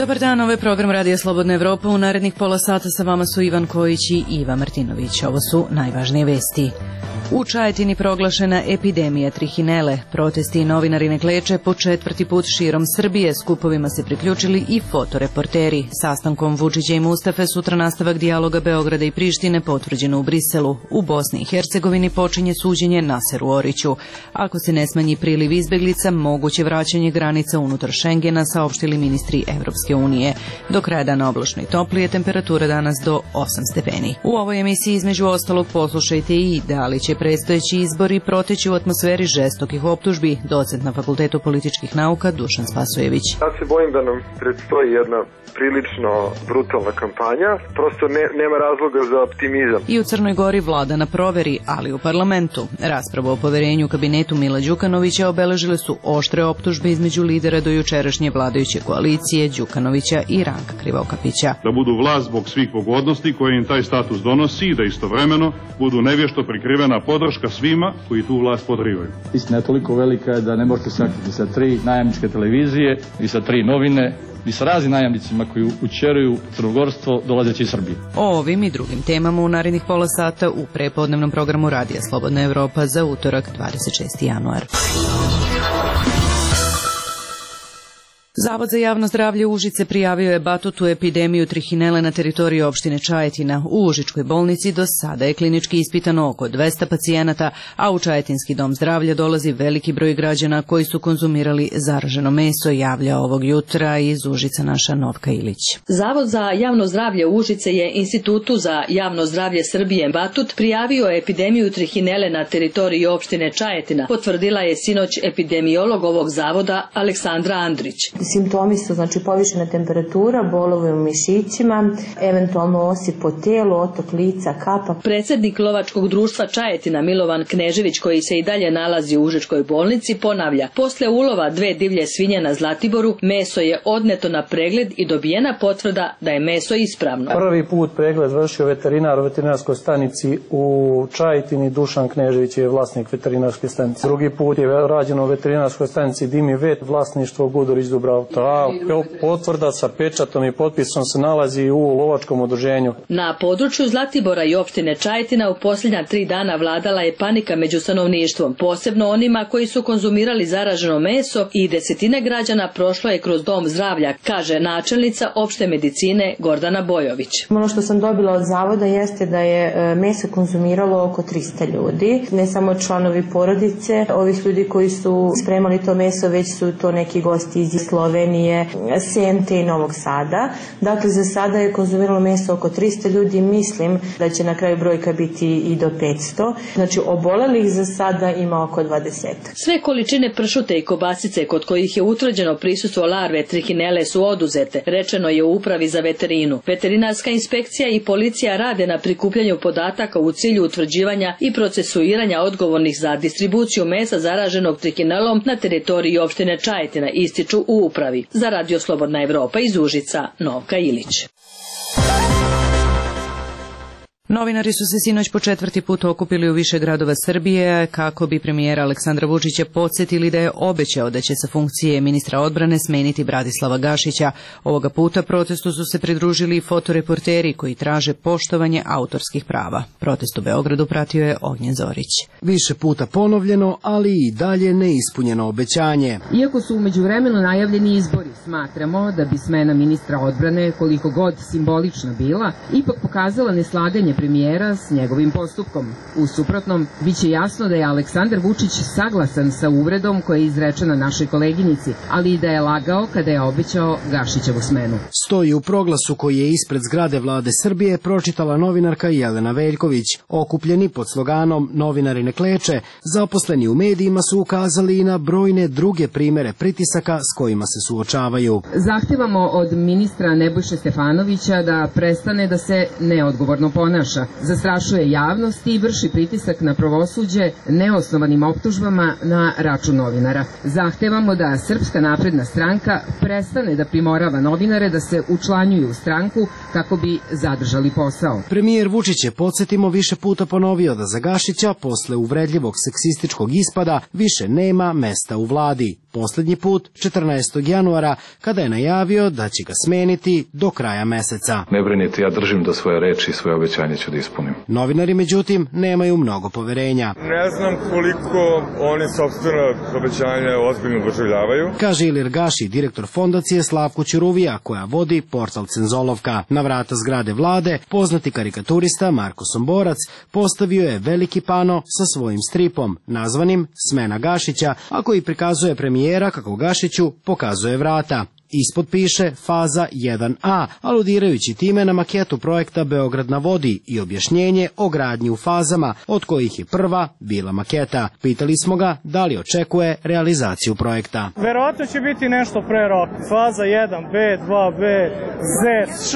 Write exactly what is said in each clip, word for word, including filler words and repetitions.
Dobar dan, ovo je program Radija Slobodna Evropa. U narednih pola sata sa vama su Ivan Kojić i Iva Martinović. Ovo su najvažnije vesti. U Čajetini proglašena epidemija trihinele. Protesti i novinari ne kleče po četvrti put širom Srbije. Skupovima se priključili i fotoreporteri. Sastankom Vučića i Mustafe sutra nastavak dijaloga Beograda i Prištine potvrđeno u Briselu. U Bosni i Hercegovini počinje suđenje Naseru Oriću. Ako se ne smanji priliv izbeglica, moguće vraćanje granica unutar Šengena, saopštili ministri Evropske unije. Do kraja dana oblačno i toplije, temperatura danas do osam stepeni. U ovoj emisiji između ostalog poslušajte i da li će predstojeći izbori proteći u atmosferi žestokih optužbi, docent na Fakultetu političkih nauka Dušan Spasojević. Ja se bojim da nam predstoji jedna prilično brutalna kampanja, prosto ne, nema razloga za optimizam. I u Crnoj Gori vlada na proveri, ali u parlamentu. Raspravu o poverenju kabinetu Mila Đukanovića obeležile su oštre optužbe između lidera do jučerašnje vladajuće koalicije Đukanovića i Ranka Krivokapića. Da budu vlast zbog svih pogodnosti koje im taj status donosi i da istovremeno budu nevješto prikrivena podrška svima koji tu vlast podrivaju. Istina je toliko velika da ne možete sakriti sa tri najamničke televizije i sa tri novine i sa raznim najamnicima koji učeruju crnogorstvo dolazeći iz Srbije. O ovim i drugim temama u narednih pola sata u prepodnevnom programu Radija Slobodna Evropa za utorak dvadeset šesti januar. Zavod za javno zdravlje Užice prijavio je batutu epidemiju trihinele na teritoriji opštine Čajetina. U Užičkoj bolnici do sada je klinički ispitano oko dvesta pacijenata, a u Čajetinski dom zdravlja dolazi veliki broj građana koji su konzumirali zaraženo meso, javlja ovog jutra iz Užica naša Novka Ilić. Zavod za javno zdravlje Užice je Institutu za javno zdravlje Srbije Batut prijavio epidemiju trihinele na teritoriji opštine Čajetina, potvrdila je sinoć epidemiolog ovog zavoda Aleksandra Andrić. Simptomi su znači povišena temperatura, bolovi u mišićima, eventualno osip po telu, otok lica, kapa. Predsjednik lovačkog društva Čajetina Milovan Knežević, koji se i dalje nalazi u Užičkoj bolnici, ponavlja: posle ulova dve divlje svinje na Zlatiboru, meso je odneto na pregled i dobijena potvrda da je meso ispravno. Prvi put pregled vršio veterinar u veterinarskoj stanici u Čajetini, Dušan Knežević je vlasnik veterinarske stanice. Drugi put je rađeno u veterinarskoj stanici Dimi Vet, vlasništvo Gudurić Dubravka. Ta potvrda sa pečatom i potpisom se nalazi u lovačkom udruženju. Na području Zlatibora i opštine Čajetina u posljednja tri dana vladala je panika među stanovništvom, posebno onima koji su konzumirali zaraženo meso, i desetine građana prošlo je kroz dom zdravlja, kaže načelnica opšte medicine Gordana Bojović. Ono što sam dobila od zavoda jeste da je meso konzumiralo oko trista ljudi, ne samo članovi porodice, ovih ljudi koji su spremali to meso, već su to neki gosti iz Slovenije, Sente i Novog Sada. Dakle, za sada je konzumiralo meso oko trista ljudi, mislim da će na kraju brojka biti i do petsto. Znači, obolelih za sada ima oko dvadeset. Sve količine pršute i kobasice kod kojih je utvrđeno prisustvo larve trihinele su oduzete, rečeno je u upravi za veterinu. Veterinarska inspekcija i policija rade na prikupljanju podataka u cilju utvrđivanja i procesuiranja odgovornih za distribuciju mesa zaraženog trihinelom na teritoriji opštine Čajetina, ističu u upravi. Za Radio Slobodna Evropa iz Užica, Novka Ilić. Novinari su se sinoć po četvrti put okupili u više gradova Srbije kako bi premijera Aleksandra Vučića podsjetili da je obećao da će sa funkcije ministra odbrane smeniti Bratislava Gašića. Ovoga puta protestu su se pridružili i fotoreporteri koji traže poštovanje autorskih prava. Protest u Beogradu pratio je Ognjen Zorić. Više puta ponovljeno, ali i dalje neispunjeno obećanje. Iako su umeđu vremenu najavljeni izbori, smatramo da bi smena ministra odbrane, koliko god simbolična bila, ipak pokazala neslaganje premijera s njegovim postupkom. U suprotnom, bit će jasno da je Aleksandar Vučić saglasan sa uvredom koja je izrečena našoj koleginici, ali i da je lagao kada je obećao Gašićevu smenu. Stoji u proglasu koji je ispred zgrade Vlade Srbije pročitala novinarka Jelena Veljković. Okupljeni pod sloganom "Novinari ne kleče", zaposleni u medijima su ukazali i na brojne druge primere pritisaka s kojima se suočavaju. Zahtevamo od ministra Nebojše Stefanovića da prestane da se neodgovorno ponaša, zastrašuje javnost i vrši pritisak na pravosuđe neosnovanim optužbama na račun novinara. Zahtevamo da Srpska napredna stranka prestane da primorava novinare da se učlanjuju u stranku kako bi zadržali posao. Premijer Vučić je, podsjetimo, više puta ponovio da za Gašića posle uvredljivog seksističkog ispada više nema mesta u vladi. Poslednji put četrnaestog januara, kada je najavio da će ga smeniti do kraja meseca. Ne brinite, ja držim do svoje reči i svoje obećanje ću da ispunim. Novinari, međutim, nemaju mnogo poverenja. Ne znam koliko oni sopstveno obećanje ozbiljno doživljavaju, kaže Ilir Gaši, direktor fondacije Slavko Ćuruvija, koja vodi portal Cenzolovka. Na vrata zgrade vlade, poznati karikaturista Marko Somborac postavio je veliki pano sa svojim stripom, nazvanim Smena Gašića, a koji prikazuje premijera kako Gašiću pokazuje vrata. Ispod piše faza jedan a, aludirajući time na maketu projekta Beograd na vodi i objašnjenje o gradnji u fazama, od kojih je prva bila maketa. Pitali smo ga da li očekuje realizaciju projekta. Verovatno će biti nešto pre roka. Faza jedan be, dva be, ze, š,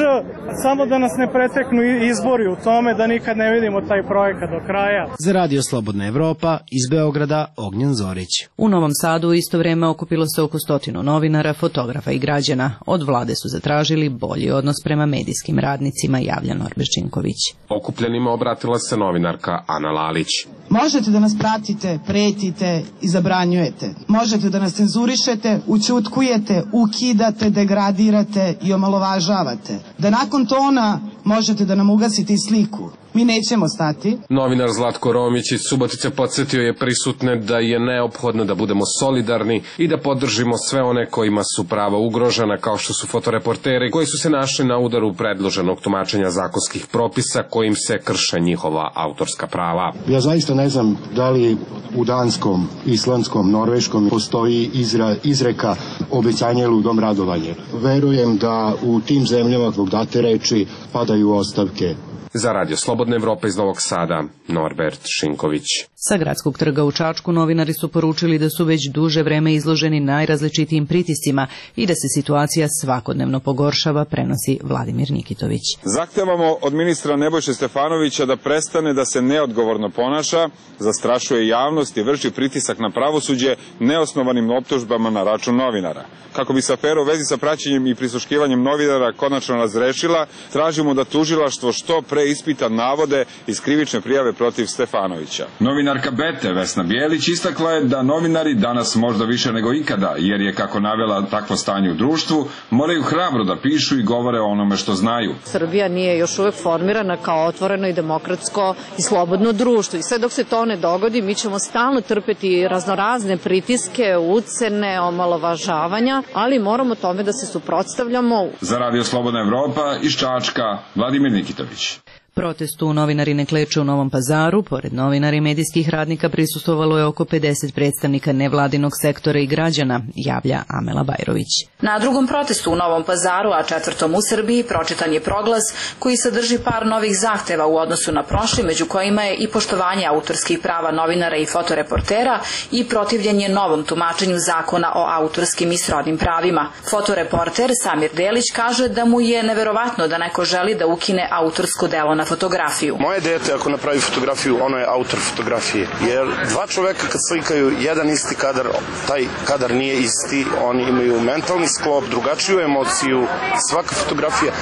samo da nas ne preteknu izbori u tome da nikad ne vidimo taj projekat do kraja. Za Radio Slobodna Evropa, iz Beograda, Ognjen Zorić. U Novom Sadu u isto vreme okupilo se oko stotinu novinara, fotografa i građana. Od vlade su zatražili bolji odnos prema medijskim radnicima, javlja Norbert Činković. Okupljenima obratila se novinarka Ana Lalić. Možete da nas pratite, pretite i zabranjujete. Možete da nas cenzurišete, ućutkujete, ukidate, degradirate i omalovažavate. Da nakon tona možete da nam ugasite i sliku. Mi nećemo stati. Novinar Zlatko Romić iz Subotice podsjetio je prisutne da je neophodno da budemo solidarni i da podržimo sve one kojima su prava ugrožena, kao što su fotoreporteri koji su se našli na udaru predloženog tumačenja zakonskih propisa kojim se krše njihova autorska prava. Ja zaista ne znam da li u danskom, islandskom, norveškom postoji izra, izreka obećanje ludom radovanje. Verujem da u tim zemljama zbog date reči padaju ostavke. Za Radio Slobodna Evropa iz Novog Sada, Norbert Šinković. Sa gradskog trga u Čačku novinari su poručili da su već duže vreme izloženi najrazličitijim pritiscima i da se situacija svakodnevno pogoršava, prenosi Vladimir Nikitović. Zahtevamo od ministra Nebojše Stefanovića da prestane da se neodgovorno ponaša, zastrašuje javnost i vrši pritisak na pravosuđe neosnovanim optužbama na račun novinara. Kako bi se afera u vezi sa praćenjem i prisluškivanjem novinara konačno razrešila, tražimo da tužilaštvo što pre ispita navode iz krivične prijave protiv Stefanovića. Novinarka Bete Vesna Bijelić istakla je da novinari danas možda više nego ikada, jer je, kako navela, takvo stanje u društvu, moraju hrabro da pišu i govore o onome što znaju. Srbija nije još uvek formirana kao otvoreno i demokratsko i slobodno društvo. I sve dok se to ne dogodi, mi ćemo stalno trpeti raznorazne pritiske, ucene, omalovažavanja, ali moramo tome da se suprotstavljamo. Za Radio Slobodna Evropa iz Čačka, Vladimir Nikitović. Protestu novinari ne kleče u Novom Pazaru. Pored novinara i medijskih radnika prisustvovalo je oko pedeset predstavnika nevladinog sektora i građana, javlja Amela Bajrović. Na drugom protestu u Novom Pazaru, a četvrtom u Srbiji, pročitan je proglas koji sadrži par novih zahteva u odnosu na prošli, među kojima je i poštovanje autorskih prava novinara i fotoreportera i protivljenje novom tumačenju zakona o autorskim i srodnim pravima. Fotoreporter Samir Delić kaže da mu je neverovatno da neko želi da ukine autorsko delo na fotografiju. Moje dete ako napravi fotografiju, ono je autor fotografije. Jer dva čoveka kad slikaju jedan isti kadar, taj kadar nije isti, oni imaju mentalni sklop, drugačiju emociju, svaka fotografija.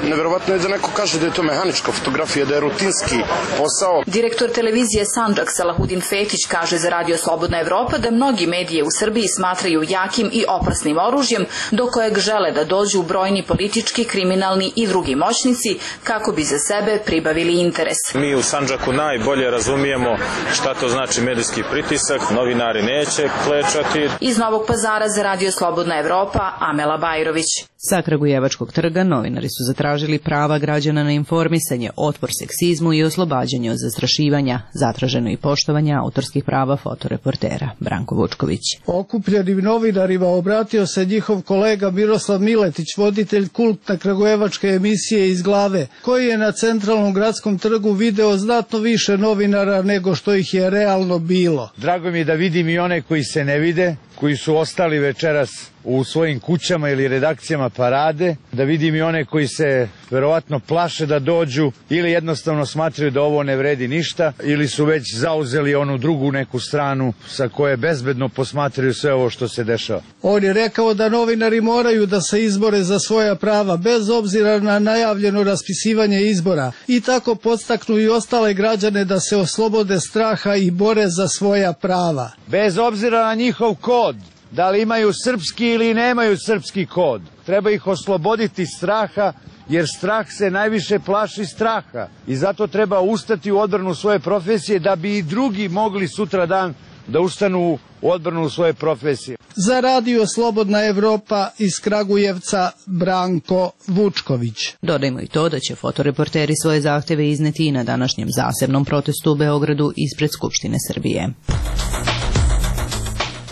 Neverovatno je da neko kaže da je to mehanička fotografija, da je rutinski posao. Direktor televizije Sandžak Salahudin Fetić kaže za Radio Slobodna Evropa da mnogi medije u Srbiji smatraju jakim i opasnim oružjem do kojeg žele da dođu brojni politički, kriminalni i drugi moćnici kako bi za sebe pribavili interes. Mi u Sandžaku najbolje razumijemo šta to znači medijski pritisak, novinari neće klečati. Iz Novog Pazara za Radio Slobodna Evropa, Amela Bajrović. Sa Kragujevačkog trga novinari su zatražili prava građana na informisanje, otpor seksizmu i oslobađanje od zastrašivanja, zatraženo i poštovanje autorskih prava fotoreportera. Branko Vučković. Okupljenim novinarima obratio se njihov kolega Miroslav Miletić, voditelj kultne kragujevačke emisije Iz glave, koji je na centralnom gradskom trgu video znatno više novinara nego što ih je realno bilo. Drago mi je da vidim i one koji se ne vide, koji su ostali večeras u svojim kućama ili redakcijama parade, da vidim i one koji se verovatno plaše da dođu ili jednostavno smatraju da ovo ne vredi ništa ili su već zauzeli onu drugu neku stranu sa koje bezbedno posmatraju sve ovo što se dešava. On je rekao da novinari moraju da se izbore za svoja prava bez obzira na najavljeno raspisivanje izbora i tako podstaknu i ostale građane da se oslobode straha i bore za svoja prava. Bez obzira na njihov kod, da li imaju srpski ili nemaju srpski kod. Treba ih osloboditi straha, jer strah se najviše plaši straha. I zato treba ustati u odbranu svoje profesije da bi i drugi mogli sutra dan da ustanu u odbranu svoje profesije. Za Radio Slobodna Evropa iz Kragujevca Branko Vučković. Dodajmo i to da će fotoreporteri svoje zahteve izneti i na današnjem zasebnom protestu u Beogradu ispred Skupštine Srbije.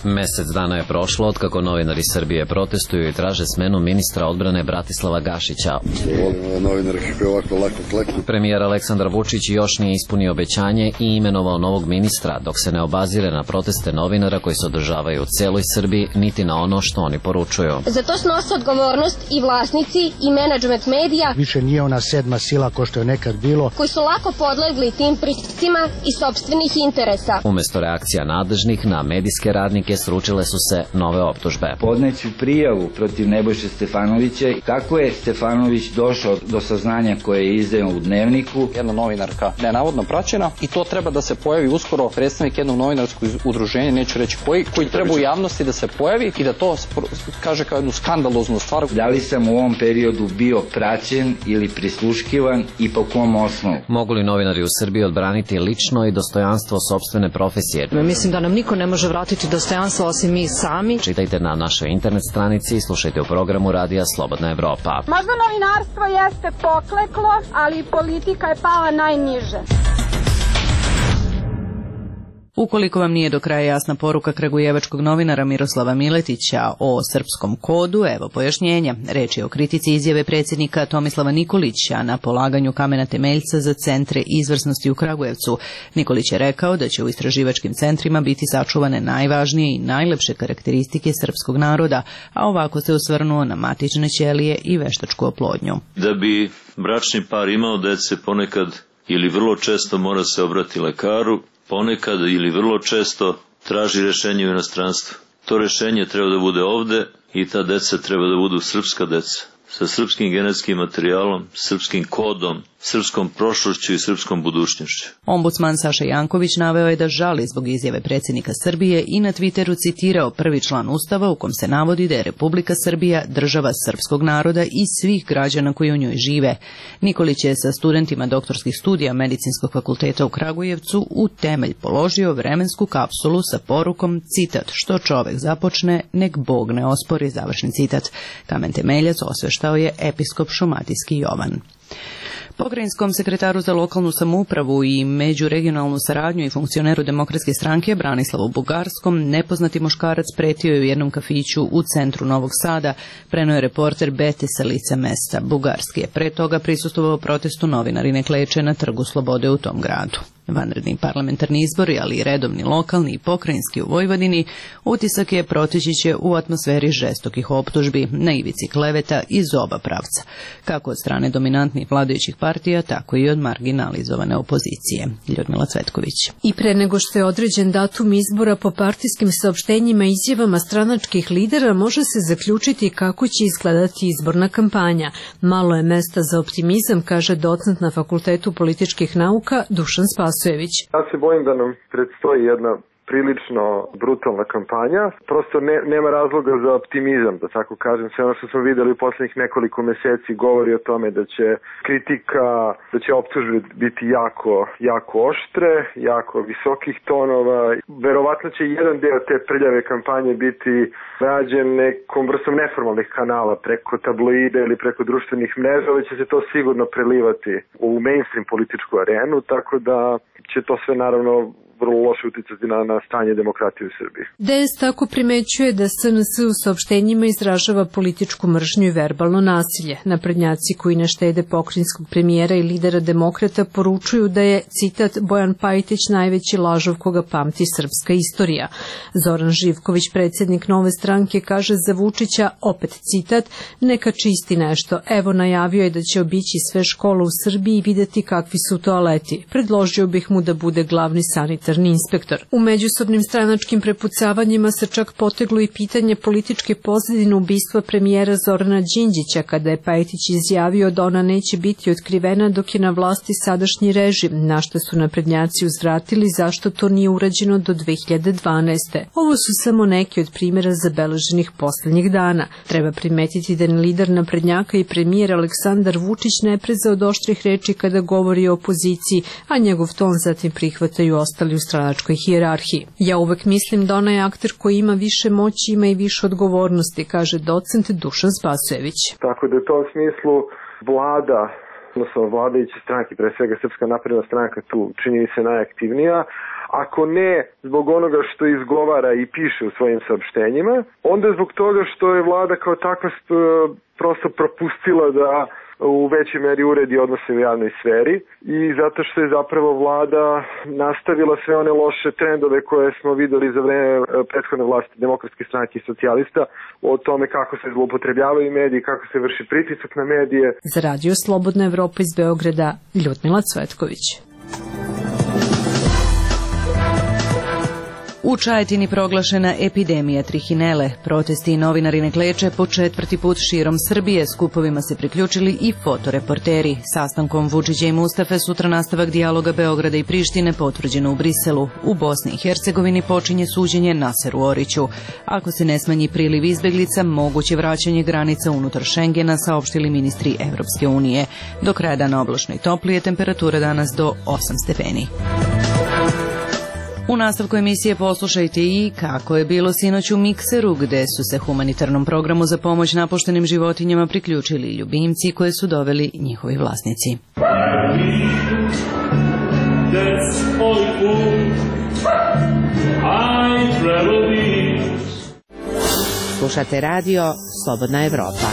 Mesec dana je prošlo otkako novinari Srbije protestuju i traže smenu ministra odbrane Bratislava Gašića. Premijer Aleksandar Vučić još nije ispunio obećanje i imenovao novog ministra, dok se ne obazire na proteste novinara koji se održavaju u celoj Srbiji, niti na ono što oni poručuju. Za to snose odgovornost i vlasnici i menadžment medija. Više nije ona sedma sila ko što je nekad bilo. Koji su lako podlegli tim pritiscima i sopstvenih interesa. Umesto reakcija nadležnih na medijske radnike sručile su se nove optužbe. Podneću prijavu protiv Nebojše Stefanovića. Kako je Stefanović došao do saznanja koje je izdao u Dnevniku? Jedna novinarka nenavodno praćena i to treba da se pojavi uskoro predstavnik jednog novinarskog udruženja, neću reći koji, koji treba u javnosti da se pojavi i da to kaže kao jednu skandaloznu stvar. Da li sam u ovom periodu bio praćen ili prisluškivan i po kom osnovu? Mogu li novinari u Srbiji odbraniti lično i dostojanstvo sopstvene profesije? Mislim da nam niko ne može vratiti dostojanstvo osim mi sami. Čitajte na našoj internet stranici i slušajte u programu Radija Slobodna Evropa. Možda novinarstvo jeste pokleklo, ali politika je pala najniže. Ukoliko vam nije do kraja jasna poruka kragujevačkog novinara Miroslava Miletića o srpskom kodu, evo pojašnjenja. Reč je o kritici izjave predsjednika Tomislava Nikolića na polaganju kamena temeljca za centre izvrsnosti u Kragujevcu. Nikolić je rekao da će u istraživačkim centrima biti sačuvane najvažnije i najlepše karakteristike srpskog naroda, a ovako se osvrnuo na matične ćelije i veštačku oplodnju. Da bi bračni par imao dece, ponekad ili vrlo često mora se obrati lekaru, ponekad ili vrlo često traži rešenje u inostranstvu. To rešenje treba da bude ovde i ta deca treba da budu srpska deca, sa srpskim genetskim materijalom, srpskim kodom, srpskom prošlošću i srpskom budućnošću. Ombudsman Saša Janković naveo je da žali zbog izjave predsjednika Srbije i na Twitteru citirao prvi član Ustava u kom se navodi da je Republika Srbija država srpskog naroda i svih građana koji u njoj žive. Nikolić je sa studentima doktorskih studija Medicinskog fakulteta u Kragujevcu u temelj položio vremensku kapsulu sa porukom, citat, što čovek započne, nek Bog ne ospori, završen citat. Kamen temeljac osveštao je episkop Šumadijski Jovan. Pokrajinskom sekretaru za lokalnu samoupravu i međuregionalnu saradnju i funkcioneru Demokratske stranke Branislavu Bugarskom nepoznati muškarac pretio je u jednom kafiću u centru Novog Sada, preneo je reporter Bete sa lica mesta. Bugarski je pre toga prisustvovao protestu novinarine Kleče na Trgu Slobode u tom gradu. Vanredni parlamentarni izbori, ali i redovni lokalni i pokrajinski u Vojvodini, utisak je proteći će u atmosferi žestokih optužbi, na ivici kleveta iz oba pravca, kako od strane dominantnih vladajućih partija, tako i od marginalizovane opozicije. Ljudmila Cvetković. I pre nego što je određen datum izbora, po partijskim saopštenjima i izjavama stranačkih lidera može se zaključiti kako će izgledati izborna kampanja. Malo je mesta za optimizam, kaže docent na Fakultetu političkih nauka Dušan Spasojević. Ja se bojim da nam predstoji jedna prilično brutalna kampanja. Prosto ne, nema razloga za optimizam, da tako kažem. Sve ono što smo videli u poslednjih nekoliko meseci govori o tome da će kritika, da će optužbe biti jako, jako oštre, jako visokih tonova. Verovatno će jedan deo te prljave kampanje biti rađen nekom vrstom neformalnih kanala preko tabloide ili preko društvenih mreža, ali će se to sigurno prelivati u mainstream političku arenu, tako da će to sve naravno vrlo loše uticati na, na stanje demokratije u Srbiji. D S tako primećuje da S N S u saopštenjima izražava političku mržnju i verbalno nasilje. Naprednjaci koji ne štede pokrajinskog premijera i lidera demokrata poručuju da je, citat, Bojan Pajtić najveći lažov koga pamti srpska istorija. Zoran Živković, predsjednik Nove stranke, kaže za Vučića, opet citat, neka čisti nešto. Evo najavio je da će obići sve škole u Srbiji i videti kakvi su toaleti. Predložio bih mu da bude glavni sanitar sanitarni inspektor. U međusobnim stranačkim prepucavanjima se čak poteglo i pitanje političke pozadine ubistva premijera Zorana Đinđića, kada je Pajtić izjavio da ona neće biti otkrivena dok je na vlasti sadašnji režim, na što su naprednjaci uzvratili zašto to nije urađeno do dve hiljade dvanaeste. Ovo su samo neki od primjera zabeleženih poslednjih dana. Treba primetiti da ni lider naprednjaka i premijer Aleksandar Vučić ne preza od oštrih reči kada govori o opoziciji, a njegov ton zatim prihvataju ostali u stranačkoj hijerarhiji. Ja uvek mislim da onaj akter koji ima više moći ima i više odgovornosti, kaže docent Dušan Spasojević. Tako da u tom smislu vlada, odnosno vladajuće stranke, pre svega Srpska napredna stranka tu čini se najaktivnija, ako ne zbog onoga što izgovara i piše u svojim saopštenjima, onda zbog toga što je vlada kao takva prosto propustila da u većoj meri uredi odnose u javnoj sferi i zato što je zapravo vlada nastavila sve one loše trendove koje smo videli za vreme prethodne vlasti Demokratske stranke i socijalista o tome kako se zloupotrebljavaju mediji, kako se vrši pritisak na medije. Za Radio Slobodna Evropa iz Beograda, Ljudmila Cvetković. U Čajetini proglašena epidemija trihinele. Protesti i novinari ne kleče po četvrti put širom Srbije. Skupovima se priključili i fotoreporteri. Sastankom Vučića i Mustafe sutra nastavak dijaloga Beograda i Prištine potvrđeno u Briselu. U Bosni i Hercegovini počinje suđenje Naseru Oriću. Ako se ne smanji priliv izbeglica, moguće vraćanje granica unutar Šengena, saopštili ministri Evropske unije. Do kraja dana oblačno i toplije, temperatura danas do osam stepeni. U nastavku emisije poslušajte i kako je bilo sinoć u Mikseru, gde su se humanitarnom programu za pomoć napuštenim životinjama priključili ljubimci koje su doveli njihovi vlasnici. Slušate radio Slobodna Evropa.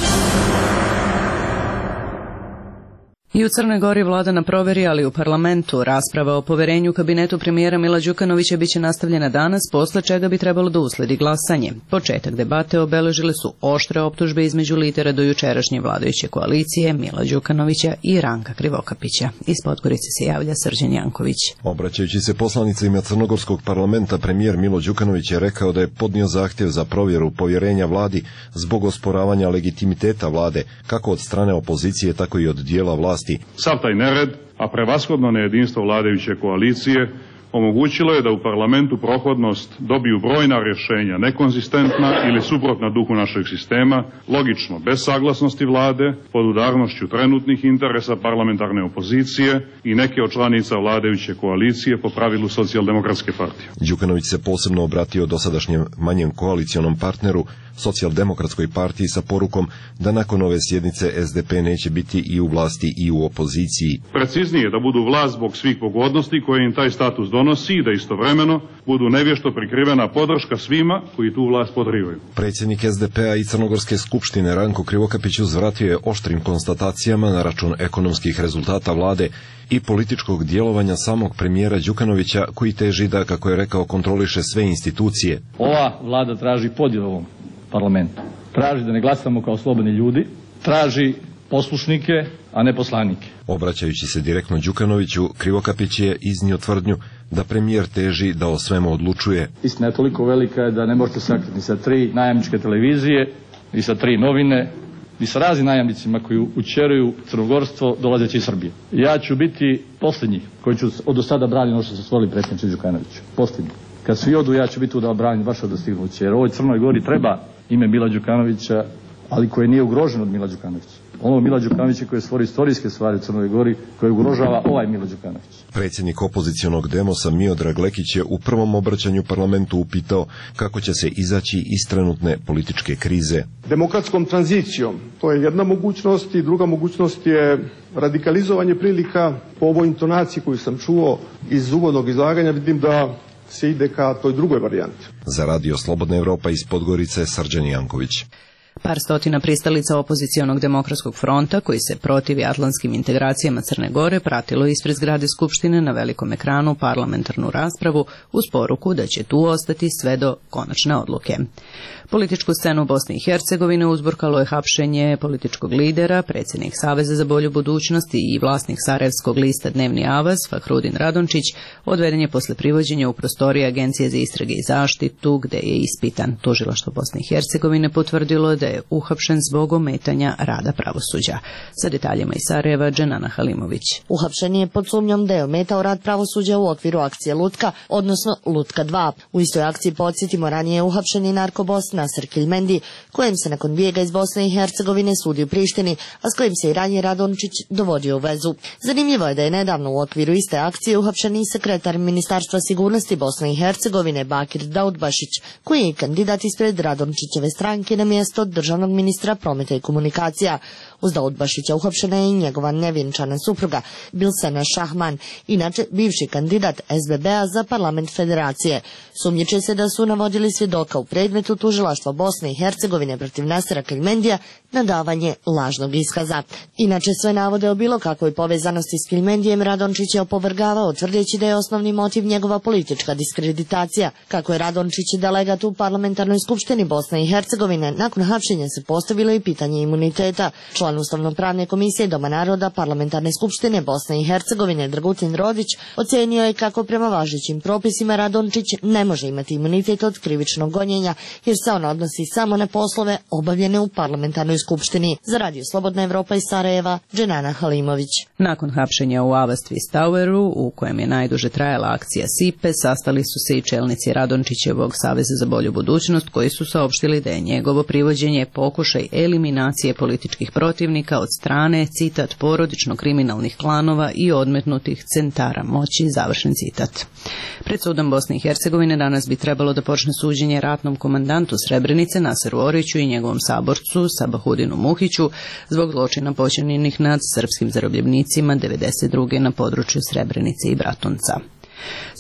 I u Crnoj Gori vlada na proveri, ali u parlamentu rasprava o poverenju kabinetu premijera Mila Đukanovića biće nastavljena danas, posle čega bi trebalo da usledi glasanje. Početak debate obeležile su oštre optužbe između lidera do jučerašnje vladajuće koalicije Mila Đukanovića i Ranka Krivokapića. Iz Podgorice se javlja Srđan Janković. Obraćajući se poslanicima Crnogorskog parlamenta, premijer Milo Đukanović je rekao da je podnio zahtjev za provjeru povjerenja vladi zbog osporavanja legitimiteta vlade, kako od strane opozicije, tako i od dijela vlasti. Sav taj nered, a prevashodno nejedinstvo vladajuće koalicije, omogućilo je da u parlamentu prohodnost dobiju brojna rješenja nekonzistentna ili suprotna duhu našeg sistema, logično bez saglasnosti vlade, pod udarnošću trenutnih interesa parlamentarne opozicije i neke od članica vladajuće koalicije po pravilu Socijaldemokratske partije. Đukanović se posebno obratio dosadašnjem manjem koalicionom partneru, Socijaldemokratskoj partiji, sa porukom da nakon ove sjednice S D P neće biti i u vlasti i u opoziciji. Preciznije, da budu vlast zbog svih pogodnosti koje im taj status donosi i da istovremeno budu nevješto prikrivena podrška svima koji tu vlast podrivaju. Predsjednik S D P-a i Crnogorske skupštine Ranko Krivokapić uzvratio je oštrim konstatacijama na račun ekonomskih rezultata vlade i političkog djelovanja samog premijera Đukanovića, koji teži da, kako je rekao, kontroliše sve institucije. Ova vlada traži podjelu ovom parlamentu. Traži da ne glasamo kao slobodni ljudi, traži poslušnike, a ne poslanike. Obraćajući se direktno Đukanoviću, Krivokapić je iznio tvrdnju da premijer teži da o svemu odlučuje. Istina je toliko velika da ne možete sakriti ni sa tri najamničke televizije, ni sa tri novine, ni sa raznim najamnicima koji učeruju crnogorstvo dolazeći iz Srbije. Ja ću biti posljednji koji ću od do sada braniti ono što se stvorili predsjedniče Đukanoviću. Posljednji. Kad svi odu, ja ću biti tu da branim vaše dostignuće. Jer ovoj Crnoj Gori treba ime Mila Đukanovića, ali koje nije ugroženo od Mila Đukanovića. Ono Mila Đukanovića koje stvori istorijske stvari u Crnoj Gori, koje ugrožava ovaj Milo Đukanović. Predsjednik opozicionog Demosa Miodrag Lekić je u prvom obraćanju parlamentu upitao kako će se izaći iz trenutne političke krize. Demokratskom tranzicijom, to je jedna mogućnost, i druga mogućnost je radikalizovanje prilika. Po ovoj intonaciji koju sam čuo iz uvodnog izlaganja vidim da se ide ka toj drugoj varijanti. Za Radio Slobodna Evropa iz Podgorice, Srđan Janković. Par stotina pristalica opozicionog demokratskog fronta, koji se protivi atlantskim integracijama Crne Gore, pratilo ispred zgrade Skupštine na velikom ekranu parlamentarnu raspravu uz poruku da će tu ostati sve do konačne odluke. Političku scenu u Bosni i Hercegovine uzburkalo je hapšenje političkog lidera, predsjednik Saveza za bolju budućnost i vlasnik sarajevskog lista Dnevni Avaz, Fahrudin Radončić, odveden je posle privođenja u prostorije Agencije za istrage i zaštitu, gde je ispitan. Tužilaštvo Bosne i Hercegovine potvrdilo da je uhapšen zbog ometanja rada pravosuđa. Sa detaljima iz Sarajeva, Dženana Halimović. Uhapšen je pod sumnjom da je ometao rad pravosuđa u okviru akcije Lutka, odnosno Lutka dva. U istoj akciji, podsjetimo, ranije je uhapšen i narkobos Nasser Kilmendi, kojem se nakon bijega iz Bosne i Hercegovine sudi u Prištini, a s kojim se i ranije Radončić dovodio u vezu. Zanimljivo je da je nedavno u okviru iste akcije uhapšen i sekretar Ministarstva sigurnosti Bosne i Hercegovine Bakir Daudbašić, koji je kandidat ispred Radončićeve stranke na mjesto državnog ministra prometa i komunikacija. Uz Daudbašića uhapšena je i njegova nevjenčana supruga Bilsena Šahman, inače bivši kandidat S B B-a za parlament federacije. Sumnjiče se da su navodili svjedoka u predmetu tužilaštva Bosne i Hercegovine protiv Nasera Kilmendija na davanje lažnog iskaza. Inače, sve navode o bilo kakvoj povezanosti s Kilmendijem Radončić je opovrgavao, tvrdeći da je osnovni motiv njegova politička diskreditacija. Kako je Radončić delegat u parlamentarnoj skupštini Bosne i Hercegovine, nakon hapšenja se postavilo i pitanje imuniteta. Član Ustavno-pravne komisije Doma naroda Parlamentarne skupštine Bosne i Hercegovine Dragutin Rodić ocenio je kako prema važećim propisima Radončić ne može imati imunitet od krivičnog gonjenja, jer se on odnosi samo na poslove obavljene u parlamentarnoj skupštini. Za Radio Slobodna Evropa iz Sarajeva, Dženana Halimović. Nakon hapšenja u Avaz Twist Toweru, u kojem je najduže trajala akcija Sipe, sastali su se i čelnici Radončićevog Saveza za bolju budućnost, koji su saopštili da je njegovo privođenje pokušaj eliminacije političkih protivnika od strane, citat, porodično-kriminalnih klanova i odmetnutih centara moći, završen citat. Pred sudom Bosne i Hercegovine danas bi trebalo da počne suđenje ratnom komandantu Srebrenice Naseru Oriću i njegovom saborcu Sabahudinu Muhiću zbog zločina počinjenih nad srpskim zarobljenicima devedeset druge na području Srebrenice i Bratunca.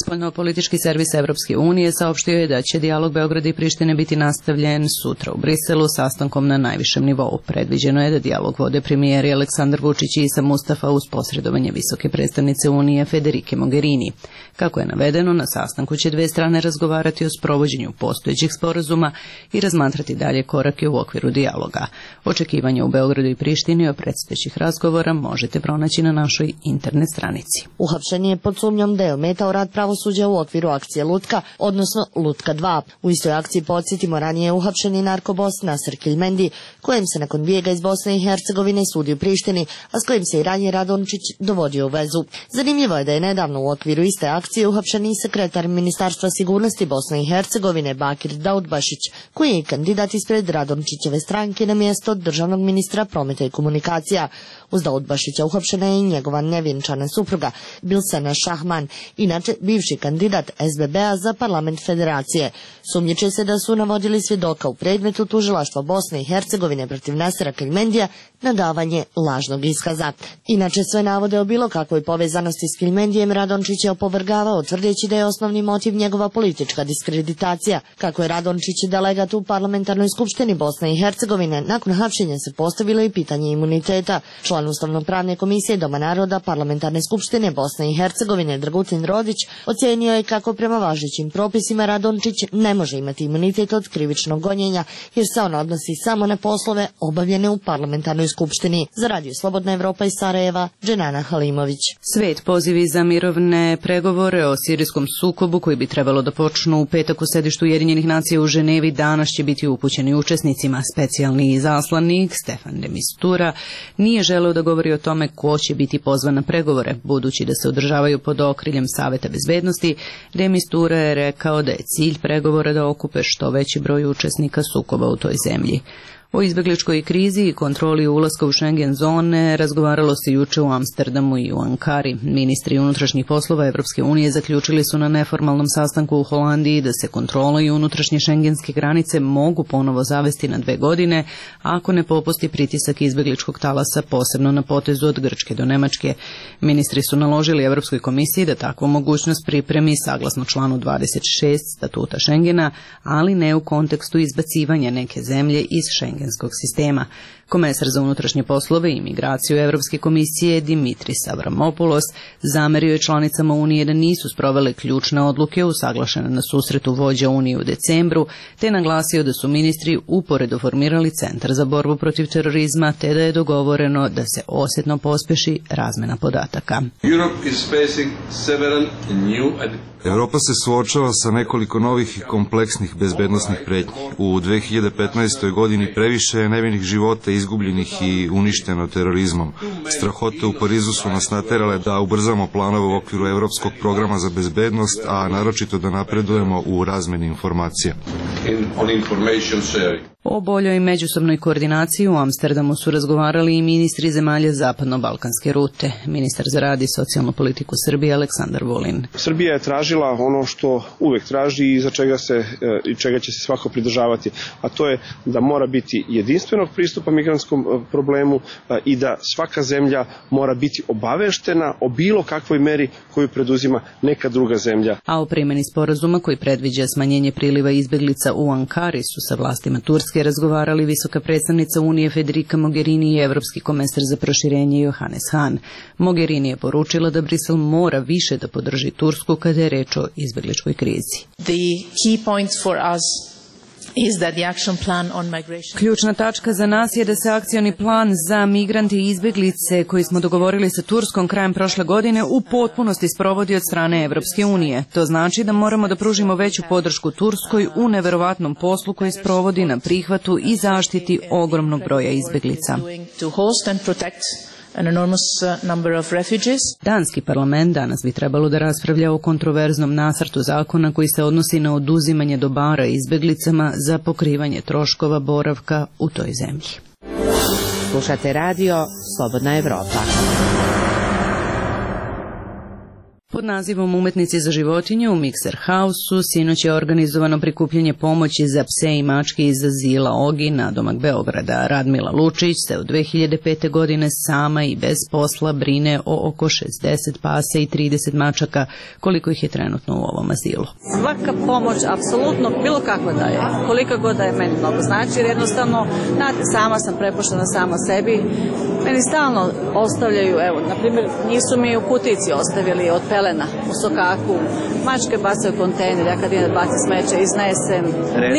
Spoljnopolitički servis Evropske unije saopštio je da će dijalog Beograda i Prištine biti nastavljen sutra u Briselu sastankom na najvišem nivou. Predviđeno je da dijalog vode premijeri Aleksandar Vučić i Isa Mustafa uz posredovanje visoke predstavnice Unije Federike Mogherini. Kako je navedeno, na sastanku će dve strane razgovarati o sprovođenju postojećih sporazuma i razmatrati dalje korake u okviru dijaloga. Očekivanje u Beogradu i Prištini o predstojećih razgovora možete pronaći na našoj internet stranici. Uhapšen je pod sumnjom da je ometao rad pravosuđa u okviru akcije Lutka, odnosno Lutka dva. U istoj akciji, podsjetimo, ranije je uhapšen i narkobos Nasser Kilmendi, kojem se nakon bijega iz Bosne i Hercegovine sudi u Prištini, a s kojim se i ranije Radončić dovodio u vezu. Zanimljivo je da je nedavno u okviru iste akcije uhapšen i sekretar Ministarstva sigurnosti Bosne i Hercegovine Bakir Daudbašić, koji je kandidat ispred Radončićeve stranke na mjesto državnog ministra prometa i komunikacija. Uz Daudbašića uhapšena je i njegova nevjenčana supruga Bilsena Šahman, inače bivši kandidat S B B-a za parlament federacije. Sumnjiče se da su navodili svjedoka u predmetu tužilaštva Bosne i Hercegovine protiv Nasera Kilmendija na davanje lažnog iskaza. Inače, sve navode o bilo kakvoj povezanosti s Kilmendijem Radončić je opovrgavao, tvrdeći da je osnovni motiv njegova politička diskreditacija. Kako je Radončić delegat u parlamentarnoj skupštini Bosne i Hercegovine, nakon hapšenja se postavilo i pitanje imuniteta. Član Ustavno-pravne komisije Doma naroda Parlamentarne skupštine Bosne i Hercegovine Dragutin Rodić ocenio je kako prema važećim propisima Radončić ne može imati imunitet od krivičnog gonjenja, jer se on odnosi samo na poslove obavljene u parlamentarnoj skupštini. Za Radio Slobodna Evropa iz Sarajeva, Dženana Halimović. Svet pozivi za mirovne pregovore o sirijskom sukobu koji bi trebalo da počnu u petak u sedištu Ujedinjenih nacija u Ženevi danas će biti upućeni učesnicima. Specijalni izaslanik Stefan de Mistura nije želeo da govori o tome ko će biti pozvan na pregovore, budući da se održavaju pod okriljem Saveta bezbednosti. De Mistura je rekao da je cilj pregovora da okupe što veći broj učesnika sukoba u toj zemlji. O izbegličkoj krizi i kontroli ulaska u Schengen zone razgovaralo se juče u Amsterdamu i u Ankari. Ministri unutrašnjih poslova Evropske unije zaključili su na neformalnom sastanku u Holandiji da se kontrola i unutrašnje šengenske granice mogu ponovo zavesti na dve godine ako ne popusti pritisak izbegličkog talasa, posebno na potezu od Grčke do Nemačke. Ministri su naložili Evropskoj komisiji da takvu mogućnost pripremi saglasno članu dvadeset šest statuta Schengena, ali ne u kontekstu izbacivanja neke zemlje iz Schengena šengenskog sistema. Komesar za unutrašnje poslove i migraciju Evropske komisije Dimitris Avramopoulos zamerio je članicama Unije da nisu sprovele ključne odluke usaglašene na susretu vođa Unije u decembru, te naglasio da su ministri uporedo formirali Centar za borbu protiv terorizma, te da je dogovoreno da se osjetno pospeši razmena podataka. Europa se suočava sa nekoliko novih i kompleksnih bezbednosnih pretnji. U dve hiljade petnaestoj. godini previše je nevinih života izgubljenih i uništeno terorizmom. Strahote u Parizu su nas naterale da ubrzamo planove u okviru Evropskog programa za bezbednost, a naročito da napredujemo u razmeni informacija. O boljoj međusobnoj koordinaciji u Amsterdamu su razgovarali i ministri zemalja zapadno-balkanske rute. Ministar za rad i socijalnu politiku Srbije Aleksandar Vulin. Srbija je tražila ono što uvek traži i za čega se i čega će se svako pridržavati, a to je da mora biti jedinstvenog pristupa migrantskom problemu i da svaka zemlja mora biti obaveštena o bilo kakvoj meri koju preduzima neka druga zemlja. A o primjeni sporazuma koji predviđa smanjenje priliva izbeglica u Ankari su sa vlastima Turske razgovarali visoka predstavnica Unije Federica Mogherini i evropski komesar za proširenje Johannes Hahn. Mogherini je poručila da Brisel mora više da podrži Tursku kada je reč o izbegličkoj krizi. Ključna tačka za nas je da se akcioni plan za migrante i izbeglice koji smo dogovorili sa Turskom krajem prošle godine u potpunosti sprovodi od strane Evropske unije. To znači da moramo da pružimo veću podršku Turskoj u neverovatnom poslu koji sprovodi na prihvatu i zaštiti ogromnog broja izbeglica. An enormous number of refugees. Danski parlament danas bi trebalo da raspravlja o kontroverznom nacrtu zakona koji se odnosi na oduzimanje dobara izbeglicama za pokrivanje troškova boravka u toj zemlji. Slušate radio Slobodna Evropa. Pod nazivom Umetnici za životinje u Mikser House-u sinoć je organizovano prikupljanje pomoći za pse i mačke iz azila Ogi na domak Beograda. Radmila Lučić se od dve hiljade pete. godine sama i bez posla brine o oko šezdeset pasa i trideset mačaka, koliko ih je trenutno u ovom azilu. Svaka pomoć, apsolutno bilo kakva da je, kolika god da je, meni mnogo znači, jer jednostavno, znate, sama sam prepuštena sama sebi. Meni stalno ostavljaju, evo, na primjer, nisu mi u kutici ostavili od pelena u sokaku, mačke bacaju kontejner, ja kad idem da bacim smeće, iznesem,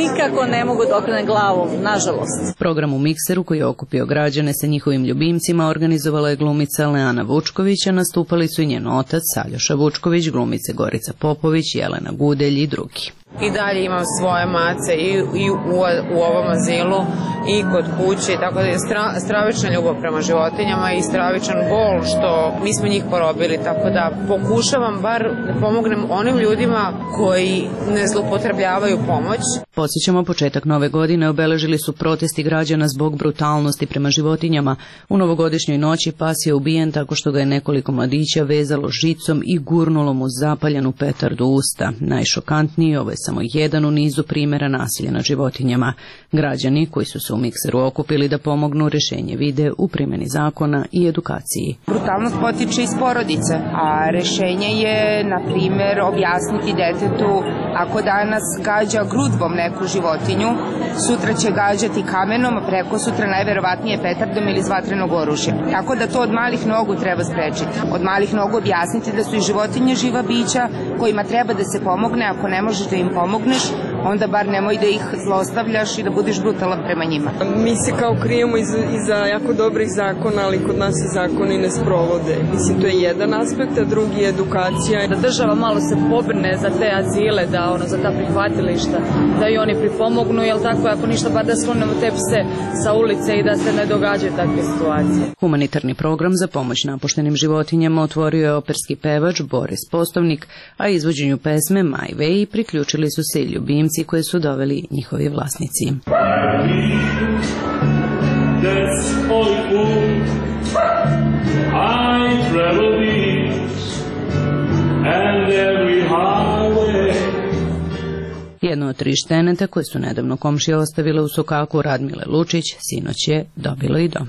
nikako ne mogu da okrenem glavu, nažalost. Program u Mikseru koji je okupio građane sa njihovim ljubimcima organizovala je glumica Leana Vučković, a nastupali su i njen otac Aljoša Vučković, glumice Gorica Popović, Jelena Gudelj i drugi. I dalje imam svoje mace i, i u, u ovom azilu i kod kuće, tako da je stra, stravična ljubav prema životinjama i stravičan bol što mi smo njih porobili, tako da pokušavam bar da pomognem onim ljudima koji ne zloupotrebljavaju pomoć. Podsjećamo, početak nove godine obeležili su protesti građana zbog brutalnosti prema životinjama. U novogodišnjoj noći pas je ubijen tako što ga je nekoliko mladića vezalo žicom i gurnulo mu zapaljenu petardu u usta. Najšokantniji, ovo je samo jedan u nizu primjera nasilja nad životinjama. Građani koji su se u Mikseru okupili da pomognu rešenje vide u primjeni zakona i edukaciji. Brutalnost potiče iz porodice, a rešenje je, na primjer, objasniti detetu ako danas gađa grudvom neku životinju, sutra će gađati kamenom, a preko sutra najverovatnije petardom ili iz vatrenog oružja. Tako da to od malih nogu treba sprečiti. Od malih nogu objasniti da su i životinje živa bića kojima treba da se pomogne, ako ne možeš da im pomogneš, onda bar nemoj da ih zlostavljaš i da budeš brutalan prema njima. Mi se kao krijemo iza, iza jako dobrih zakona, ali kod nas se zakoni ne sprovode. Mislim, to je jedan aspekt, a drugi je edukacija. Da država malo se pobrne za te azile, da ono, za ta prihvatilišta, da i oni pripomognu, jel tako, ako ništa, bar da sklonemo te pse sa ulice i da se ne događaju takve situacije. Humanitarni program za pomoć napuštenim životinjama otvorio je operski pevač Boris Postovnik, a izvođenju pesme My Way priključili su se i ljubimci koje su doveli njihovi vlasnici. Jedno od tri šteneta koje su nedavno komšije ostavile u sokaku Radmile Lučić sinoć je dobilo i dom.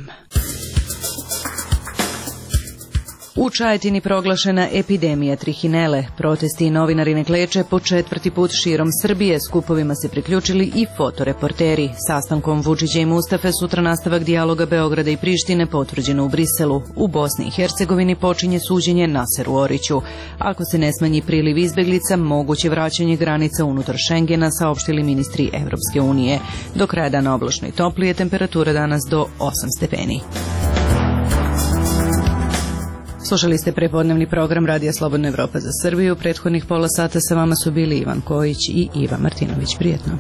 U Čajetini proglašena epidemija trihinele. Protesti i novinari ne kleče po četvrti put širom Srbije. Skupovima se priključili i fotoreporteri. Sastankom Vučića i Mustafe sutra nastavak dijaloga Beograda i Prištine potvrđeno u Briselu. U Bosni i Hercegovini počinje suđenje Naseru Oriću. Ako se ne smanji priliv izbeglica, moguće vraćanje granica unutar Šengena, saopštili ministri Evropske unije. Do kraja dana oblačno i toplije, temperatura danas do osam stepeni. Slušali ste prepodnevni program Radija Slobodna Evropa za Srbiju. Prethodnih pola sata sa vama su bili Ivan Kojić i Iva Martinović. Prijetno.